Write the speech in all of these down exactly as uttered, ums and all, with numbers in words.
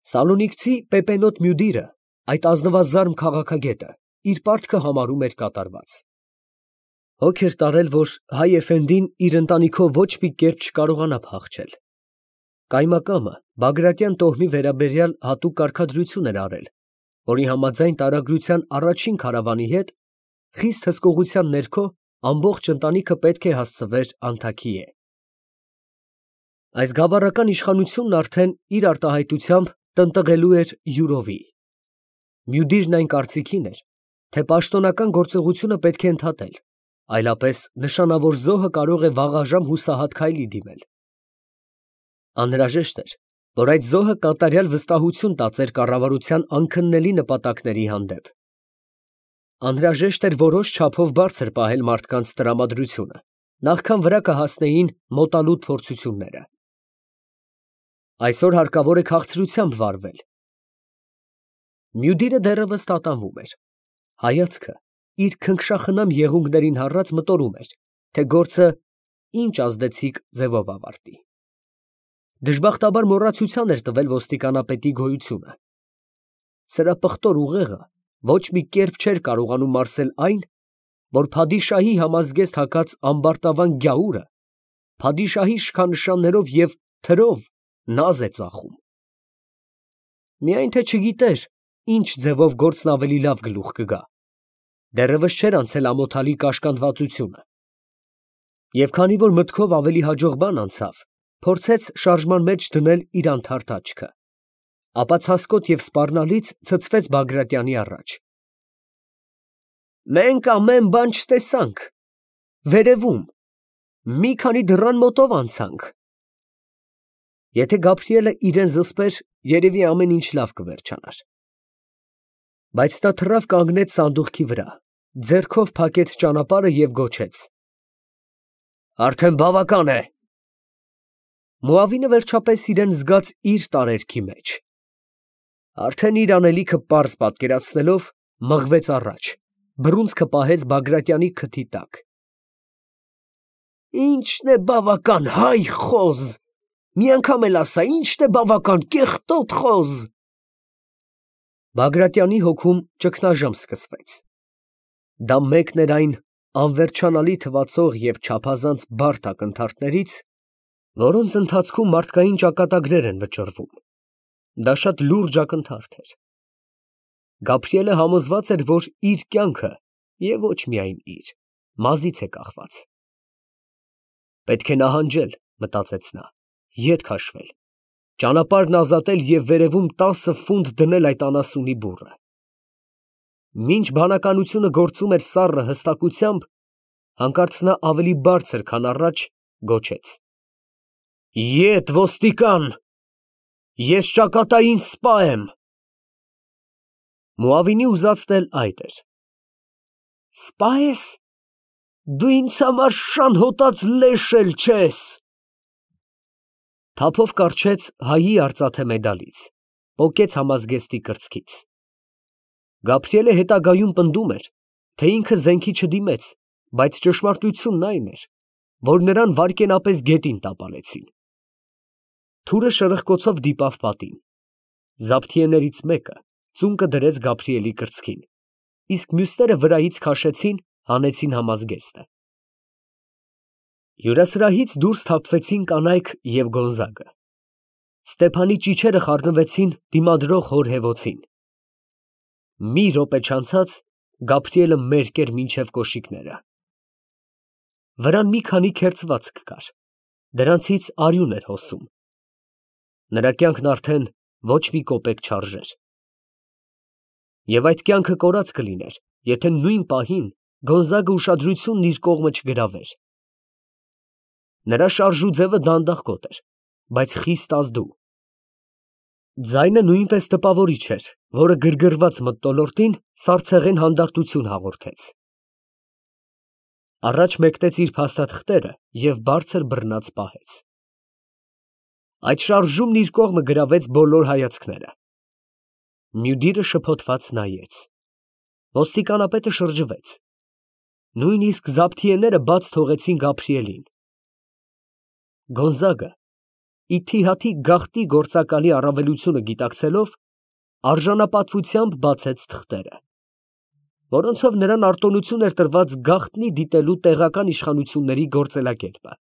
Սալոնիկցի Պեպենոտ Մյուդիրը, այդ ազնվազարմ քաղաքագետը, իր պարտքը համարում էր կատարված. հոգ էր տարել, որ հայ էֆենդին իր ընտանիքով ոչ մի կերպ չկարողանա փախչել. կայմակամը Բագրատյան տոհմի վերաբերյալ հատուկ կարգադրություն էր արել, որի համաձայն տարագրության առաջին քարավանի հետ խիստ հսկողության ներքո ամբողջ ընտանիքը պետք է հասցվեր Անթաքիե։ Այս գավառական իշխանությունն արդեն իր արտահայտությամբ տնտղելու էր յուրովի։ Մյուդիրն այն կարծիքին էր, թե պաշտոնական գործողությունը պետք է ընդհատել, այլապես նշանավոր զոհը կարող է վաղաժամ հուսահատ քայլի դիմել։ Անհրաժեշտ էր, որ այդ զոհը կատարյալ վստահություն տածեր կառավարության անքննելի նպատակների հանդեպ։ Անհրաժեշտ էր որոշ չափով բարձր պահել մարդկանց տրամադրությունը, նախքան վրա կհասնեին մոտալուտ փորձությունները։ Այսօր հարկավոր է քաղցրությամբ վարվել։ Մյուդիրը դեռևս տատանվում էր։ Հայացքը իր քնքշախնամ եղունգներին հառած մտորում էր, թե գործը ինչ ազդեցիկ ձևով ավարտի։ Դժբախտաբար մոռացության էր տվել ոստիկանապետի գոյությունը։ Սրա պղտոր ուղեղը ոչ մի կերպ չէր կարողանում մարսել այն, որ փադիշահի համազգեստ հագած ամբարտավան գյաուրը փադիշահի շքանշաններով և թրով նազ է ծախում։ Միայն թե չգիտեր ինչ ձևով գործն ավելի լավ գլուխ կգա, դեռևս չէր անցել ամոթալի կաշկանդվածությունը։ Եվ քանի որ մտքով ավելի հաջող բան անցավ, փորձեց շարժման մեջ դնել իր անթարթ աչքը, ապա ցասկոտ և սպառնալից ցցվեց Բագրատյանի առաջ։ Մենք ամեն բան չտեսանք, վերևում, մի քանի դռան մոտով անցանք։ Եթե Գաբրիելը իրան զսպեր, երևի ամեն ինչ լավ կվերջանար։ Բայց նա թռավ կանգնեց սանդուղքի վրա, ձեռքով փակեց ճանապարհը և գոչեց. Արդեն բավական է։ Մուավինը վերջապես իրան զգաց իր տարերքի մեջ։ Արդեն իր անելիքը պարզ պատկերացնելով, մղվեց առաջ, բռունցքը պահեց Բագրատյանի քթի տակ։ Ի՞նչն է բավական, հայ խոզ, մի անգամ էլ ասա, ի՞նչն է բավական, կեղտոտ խոզ։ Բագրատյանի հոգում ճգնաժամ սկսվեց։ Դա մեկն էր այն անվերջանալի թվացող և չափազանց բարդ ակնթարթներից, որոնց ընթացքում մարդկային ճակատագրեր են վճռվում։ Դա շատ լուրջ ակնթարթ էր։ Գաբրիելը համոզված էր, որ իր կյանքը, և ոչ միայն իր, մազից է կախված։ Պետք է նահանջել, մտածեց նա, ետ քաշվել, ճանապարհն ազատել և վերևում տասը ֆունտ դնել այդ անասունի բուռը։ Մինչ բանականությունը գործում էր սառը հստակությամբ, հանկարծ նա ավելի բարձր, քան առաջ գոչեց. Ետ, ոստիկան, ես ճակատային սպա եմ։ Մուավինի ուզածն էլ այդ էր։ Սպա ես, դու ինձ համար շան հոտած լեշ էլ չես։ Թափով կառչեց հայի արծաթե մեդալից, պոկեց համազգեստի կրծքից։ Գաբրիելը հետագայում պնդում էր, թե ինքը զենքի չդիմեց, բայց ճշմարտությունն այն էր, որ նրան վայրկենապես գետին տապալեցին։ Թուրը շրխկոցով դիպավ պատին։ Զաբթիեներից մեկը ծունկը դրեց Գաբրիելի կրծքին, իսկ մյուսները վրայից քաշեցին, հանեցին համազգեստը։ Հյուրասրահից դուրս թափվեցին կանայք և Գոնզագը։ Ստեփանի ճիչերը խառնվեցին դիմադրող հոր հևոցին։ Մի րոպե չանցած Գաբրիելը մերկ էր մինչև կոշիկները։ Վրան մի քանի քերծվածք կար, դրանցից արյուն էր հոսում։ Նրա կյանքն արդեն ոչ մի կոպեկ չարժեր։ Եվ այդ կյանքը կորած կլիներ, եթե նույն պահին Գոնզագը ուշադրությունն իր կողմը չգրավեր։ Նրա շարժուձևը դանդաղկոտ էր, բայց խիստ ազդու։ Ձայնը նույնպես տպավորիչ էր, որը գրգռված մթնոլորտին սառցեղեն հանդարտություն հաղորդեց։ Առաջ մեկնեց իր փաստաթղթերը և բարձր բռնած պահեց։ Այդ շարժումն իր կողմը գրավեց բոլոր հայացքները։ Մյուդիրը շփոթված նայեց։ Ոստիկանապետը շրջվեց։ Նույնիսկ զաբթիեները բաց թողեցին Գաբրիելին։ Գոնզագը ի թիհաթի գաղտնի գործակալի առավելությունը գիտակցելով, արժանապատվությամբ բացեց թղթերը, որոնցով նրան արտոնություն էր տրված գաղտնի դիտելու տեղական իշխանությունների գործելակերպը։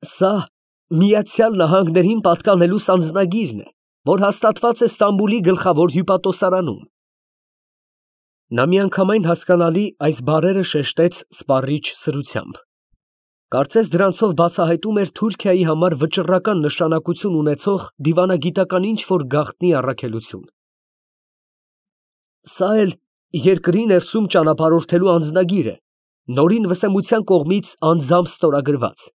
Սա Միացյալ Նահանգներին պատկանելու սանձնագիրն է, որ հաստատված է Ստամբուլի գլխավոր հյուպատոսարանում։ Նա միանգամայն հասկանալի այս բառերը շեշտեց սպառիչ սրությամբ. կարծես դրանցով բացահայտում էր Թուրքիայի համար վճռական նշանակություն ունեցող դիվանագիտական ինչ-որ գաղտնի առաքելություն։ Սա էլ երկրի ներսում ճանապարհորդելու անձնագիր է, նորին վսեմության կողմից անձամբ ստորագրված։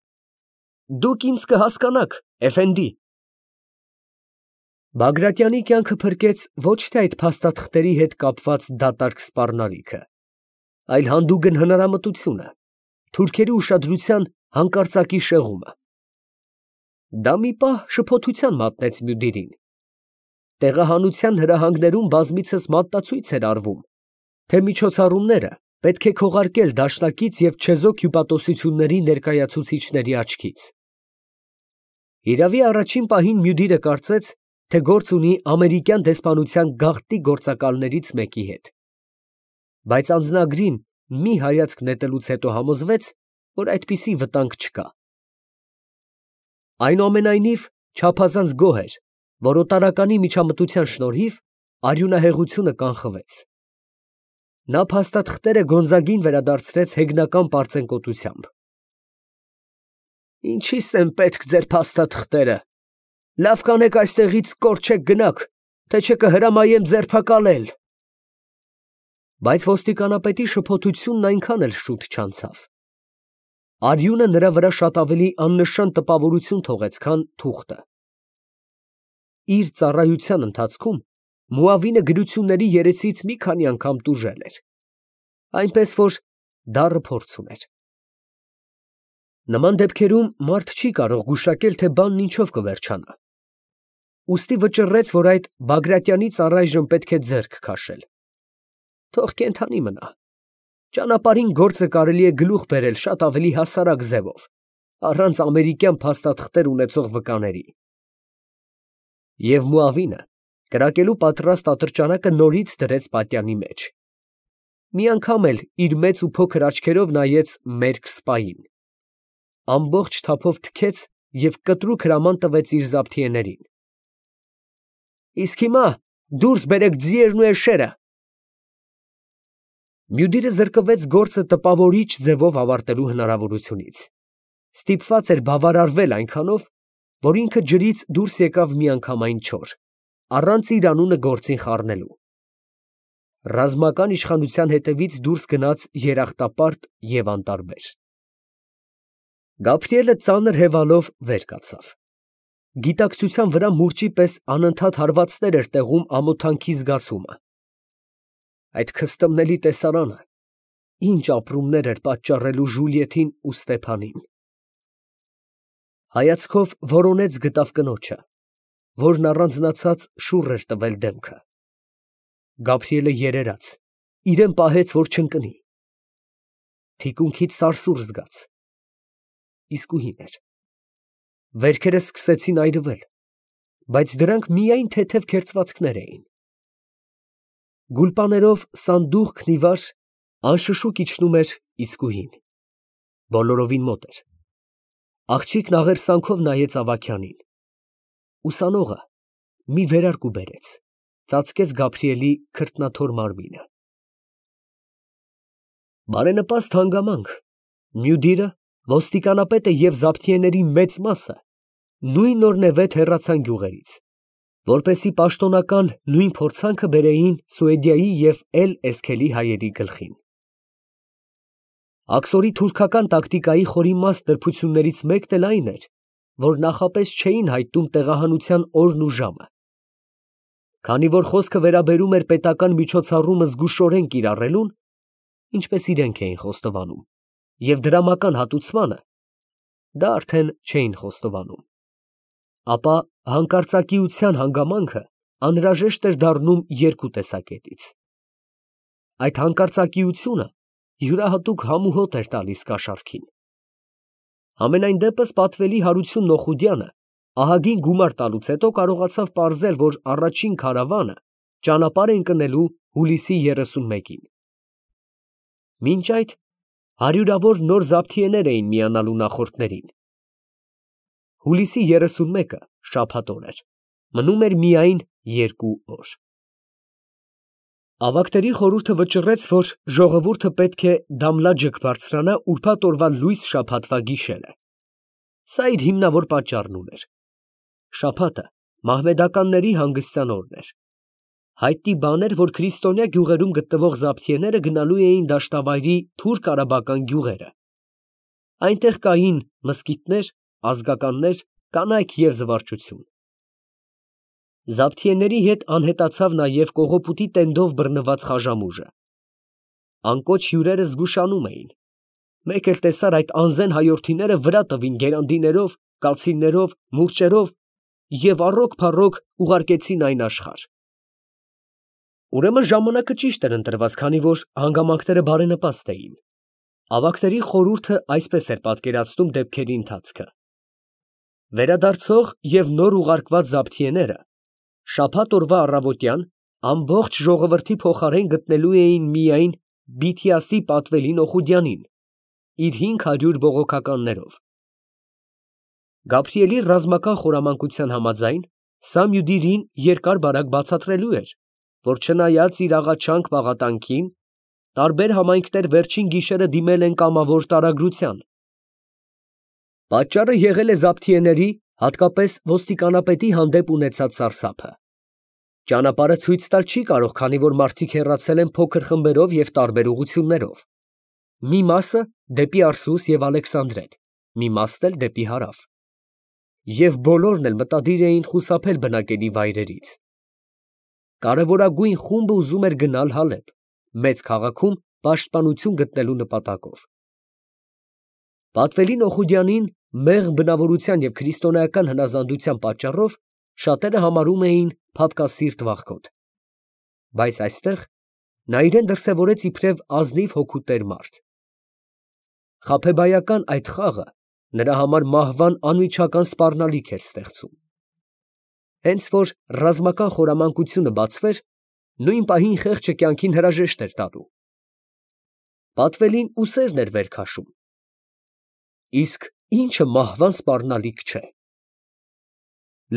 Դուք ինձ կհասկանաք, էֆենդի։ Բագրատյանի կյանքը փրկեց ոչ թե այդ փաստաթղթերի հետ կապված դատարկ սպառնալիքը, այլ հանդուգն հնարամտությունը, թուրքերի ուշադրության հանկարծակի շեղումը։ Դա մի պահ շփոթության մատնեց Մյուդիրին։ Տեղահանության հրահանգներում բազմիցս մատնացույց էր արվում, թե միջոցառումները պետք է քողարկել դաշնակից և չեզոք հյուպատոսությունների ներկայացուցիչների աչքից։ Հիրավի, առաջին պահին Մյուդիրը կարծեց, թե գործ ունի ամերիկյան դեսպանության գաղտնի գործակալներից մեկի հետ, բայց անձնագրին մի հայացք նետելուց հետո համոզվեց, որ այդպիսի վտանգ չկա։ Այնուամենայնիվ, չափազանց գոհ էր, որ օտարականի միջամտության շնորհիվ արյունահեղությունը կանխվեց։ Նա փաստաթղթերը Գոնզագին վերադարձրեց հեգնական պարծենկոտությամբ։ Ինչի՞ս են պետք ձեր փաստաթղթերը, լավ կանեք այստեղից կորչեք գնաք, թե չէ կհրամայեմ ձերբակալել։ Բայց ոստիկանապետի շփոթությունն այնքան էլ շուտ չանցավ։ Արյունը նրա վրա շատ ավելի աննշան տպավորություն թողեց, քան թուղթը։ Իր ծառայության ընթացքում Մուավինը գրությունների երեսից մի քանի անգամ տուժել էր, այնպես որ դառը փորձ ուներ։ Նման դեպքերում մարդ չի կարող գուշակել, թե բանն ինչով կվերջանա։ Ուստի վճռեց, որ այդ Բագրատյանից առայժմ պետք է ձեռք քաշել։ Թող կենդանի մնա։ Ճանապարհին գործը կարելի է գլուխ բերել շատ ավելի հասարակ ձևով, առանց ամերիկյան փաստաթղթեր ունեցող վկաների։ Եվ Մուավինը կրակելու պատրաստ ատրճանակը նորից դրեց պատյանի մեջ։ Մի անգամ էլ իր մեծ ու փոքր աչքերով նայեց մերկ սպային, ամբողջ թափով թքեց և կտրուկ հրաման տվեց իր զաբթիեներին. Իսկ հիմա դուրս բերեք ձիերն ու էշերը։ Մյուդիրը զրկվեց գործը տպավորիչ ձևով ավարտելու հնարավորությունից, ստիպված էր բավարարվել այնքանով, որ ինքը ջրից դուրս եկավ միանգամայն չոր, առանց իր անունը գործին խառնելու։ Ռազմական իշխանության հետևից դուրս գնաց երախտապարտ և անտարբեր։ Գաբրիելը ծանր հևալով վեր կացավ։ Գիտակցության վրա մուրճի պես անընդհատ հարվածներ էր տեղում ամոթանքի զգացումը։ Այդ քստմնելի տեսարանը ինչ ապրումներ էր պատճառելու Ժուլիեթին ու Ստեփանին։ Հայացքով որոնեց գտավ կնոջը, որն առանձնացած շուռ էր տվել դեմքը։ Գաբրիելը երերաց, իրան պահեց, որ չընկնի։ Թիկունքից սարսուռ զգաց։ Իսկույն էր։ Վերքերը սկսեցին այրվել, բայց դրանք միայն թեթև քերծվածքներ էին։ Գուլպաներով սանդուղքն ի վար անշշուկ իջնում էր իսկույն, բոլորովին մոտ էր։ Աղջիկն աղերսանքով նայեց Ավագյանին։ Ուսանողը մի վերարկու բերեց, ծածկեց Գաբրիելի քրտնաթոր մարմինը։ Բարենպաստ հանգամանք, Մյուդիրը, ոստիկանապետը և զաբթիեների մեծ մասը նույն օրն է վեթ հեռացան գյուղերից, որպեսզի պաշտոնական նույն փորձանքը բերեին Սուեդիայի և Էլ֊Էսքելի հայերի գլխին։ Աքսորի թուրքական տակտիկայի խորիմաստ նրբություններից մեկն էլ այն էր, որ նախապես չէին հայտնում տեղահանության օրն ու ժամը։ Քանի որ խոսքը վերաբերում էր պետական միջոցառումը զգուշորեն կիրառելուն, ինչպես իրենք էին խոստովանում, և դրամական հատուցմանը, դա արդեն չէին խոստովանում, ապա հանկարծակիության հանգամանքը անհրաժեշտ էր դառնում երկու տեսակետից։ Այդ հանկարծակիությունը յուրահատուկ համուհոտ էր տալիս կաշառքին։ Համենայն դեպս պատվելի Հարություն Նոխուդյանը ահագին գումար տալուց հետո կարողացավ պարզել, որ առաջին քարավանը ճանապարհ է ընկնելու հուլիսի երեսունմեկին։ Մինչ այդ հարյուրավոր նոր զաբթիեներ էին միանալու նախորդներին։ Հուլիսի երեսունմեկը շաբաթ օր էր, մնում էր միայն երկու օր։ Ավագների խորհուրդը վճռեց, որ ժողովուրդը պետք է դամլաջկ բարձրանա ուրբաթ օրվա լույս շաբաթվա գիշերը։ Սա իր հիմնավոր պատճառն ուներ։ Շաբաթը մահմեդականների հանգստյան օրն էր։ Հայտնի բան էր, որ քրիստոնյա գյուղերում գտնվող զաբթիեները գնալու էին դաշտավայրի թուրք արաբական գյուղերը։ Այնտեղ կային մզկիթներ, ազգականներ, կանայք և զվարճություն։ Զաբթիեների հետ անհետացավ նաև կողոպուտի տենդով բռնված խաժամուժը։ Անկոչ հյուրերը զգուշանում էին։ Մեկ էլ տեսար այդ անզեն հայորդիները վրա տվին գերանդիներով, կացիններով, մուրճերով և առոք֊փառոք ուղարկեցին այն աշխարհ։ Ուրեմն ժամանակը ճիշտ էր ընտրված, քանի որ հանգամանքները բարենպաստ էին։ Ավագների խորհուրդը այսպես էր պատկերացնում դեպքերի ընթացքը. վերադարձող և նոր ուղարկված զաբթիեները շաբաթ օրվա առավոտյան ամբողջ ժողովրդի փոխարեն գտնելու էին միայն Բիթիասի պատվելի Նոխուդյանին, իր հինգ հարյուր բողոքականներով։ Գաբրիելի ռազմական խորամանկության համաձայն, սա Մյուդիրին երկար֊բարակ բացատրելու էր, որ չնայած իր աղաչանք պաղատանքին, տարբեր համայնքներ վերջին գիշերը դիմել են կամավոր տարագրության։ Պատճառը եղել է զաբթիեների, հատկապես ոստիկանապետի հանդեպ ունեցած սարսափը։ Ճանապարհը ցույց տալ չի կարող, քանի որ մարդիկ հեռացել են փոքր խմբերով և տարբեր ուղղություններով։ Մի մասը դեպի Արսուս և Ալեքսանդրետ, մի մասն էլ դեպի հարավ։ Եվ բոլորն էլ մտադիր էին խուսափել բնակելի վայրերից։ Կարևորագույն խումբը ուզում էր գնալ Հալեբ, մեծ քաղաքում պաշտպանություն գտնելու նպատակով։ Պատվելի Նոխուդյանին մեղմ բնավորության և քրիստոնեական հնազանդության պատճառով շատերը համարում էին փափկասիրտ վախկոտ։ Բայց այստեղ նա իրան դրսևորեց իբրև ազնիվ հոգու տեր մարդ։ Խաբեբայական այդ խաղը նրա համար մահվան անմիջական սպառնալիք էր ստեղծում։ Հենց որ ռազմական խորամանկությունը բացվեր, նույն պահին խեղճը կյանքին հրաժեշտ էր տալու։ Պատվելին ուսերն էր վեր քաշում։ Իսկ ի՞նչը մահվան սպառնալիք չէ։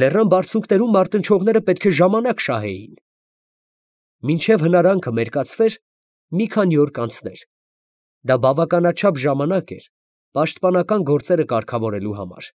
Լեռան բարձունքներում մարտնչողները պետք է ժամանակ շահեին։ Մինչև հնարանքը մերկացվեր, մի քանի օր կանցներ։ Դա բավականաչափ ժամանակ էր պաշտպանական գործերը կարգավորելու համար։